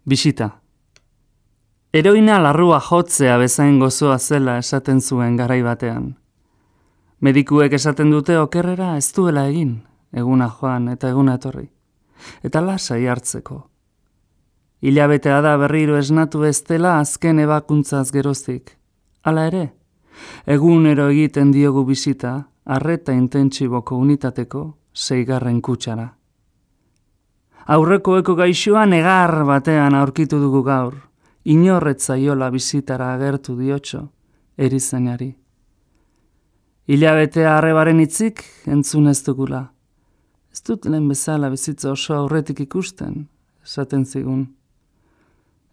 Bisita. Heroina larrua jotzea bezain gozoa zela esaten zuen garai batean. Medikuek esaten dute okerrera ez duela egin, eguna joan eta eguna etorri. Eta lasai hartzeko. Hilabetea da berriro esnatu ez dela azken ebakuntzaz geroztik. Hala ere, egunero egiten diogu bisita, arreta intentsiboko unitateko 6. kutsara. Aurrekoeko gaixoa negar batean aurkitu dugu gaur, inorret zaiola bisitara agertu diotxo, erizainari. Hilabetea arrebaren hitzik entzun ez dugula. Ez dut lehen bezala bizitza oso aurretik ikusten, esaten zigun.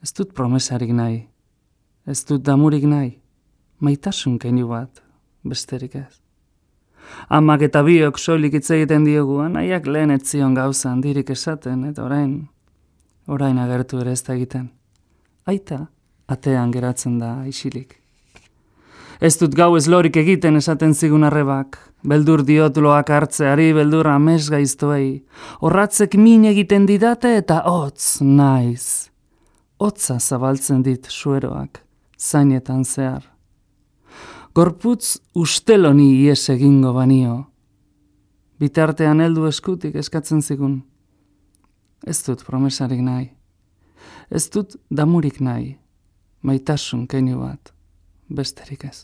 Ez dut promesarik nahi, ez dut damurik nahi, maitasun keinu bat, besterik ez. Amak eta biok soilik hitz egiten diogu, anaiak lehen ez zion gauza handirik esaten, eta orain agertu ere ez da egiten. Aita, atean geratzen da isilik. Ez dut gau ez lorik egiten esaten zigun arrebak, beldur diot loak hartzeari, beldur amesgaiztoei, horratzek min egiten didate eta hotz naiz. Hotza zabaltzen dit sueroak, zainetan zehar. Gorputz usteloni ies egingo banio. Bitartean heldu eskutik eskatzen zigun. Ez dut promesarik nahi. Ez dut damurik nahi. Maitasun keinu bat, besterik ez.